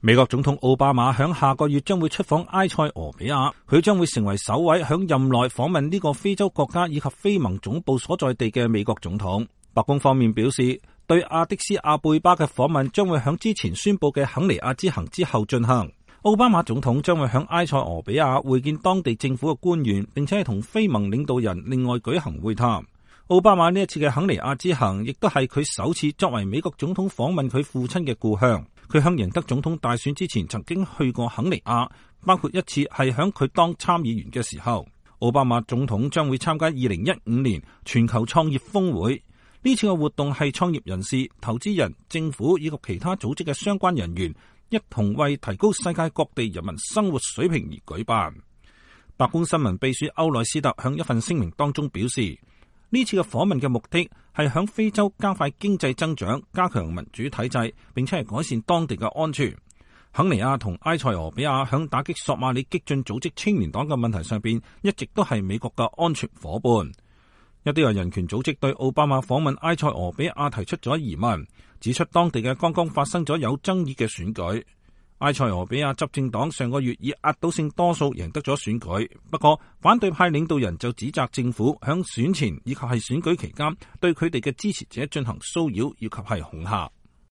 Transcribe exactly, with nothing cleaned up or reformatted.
美國總統奧巴馬響下個月將會出訪埃塞俄比亞，佢將會成為首位響任內訪問呢個非洲國家以及非盟總部所在地嘅美國總統。白宮方面表示，對阿迪斯阿貝巴嘅訪問將會響之前宣布嘅肯尼亞之行之後進行。奧巴馬總統將會響埃塞俄比亞會見當地政府嘅官員，並且係同非盟領導人另外舉行會談。奧巴馬呢一次嘅肯尼亞之行，亦都係佢首次作為美國總統訪問佢父親嘅故鄉。佢響贏得總統大選之前，曾經去過肯尼亞，包括一次係響佢當參議員嘅時候。奧巴馬總統將會參加二零一五年全球創業峰會。呢次嘅活動係創業人士、投資人、政府以及其他組織嘅相關人員一同為提高世界各地人民生活水平而舉辦。白宮新聞秘書歐內斯特向一份聲明當中表示，呢次嘅訪問嘅目的係響非洲加快經濟增長、加強民主體制，並且係改善當地嘅安全。肯尼亞同埃塞俄比亞響打擊索馬里激進組織青年黨嘅問題上邊，一直都係美國嘅安全夥伴。一啲嘅人權組織對奧巴馬訪問埃塞俄比亞提出咗疑問，指出當地嘅剛剛發生咗有爭議嘅選舉。埃塞俄比亞執政黨上個月以壓倒性多數贏得咗選舉，不過反對派領導人就指責政府響選前以及係選舉期間對佢哋嘅支持者進行騷擾以及係恐嚇。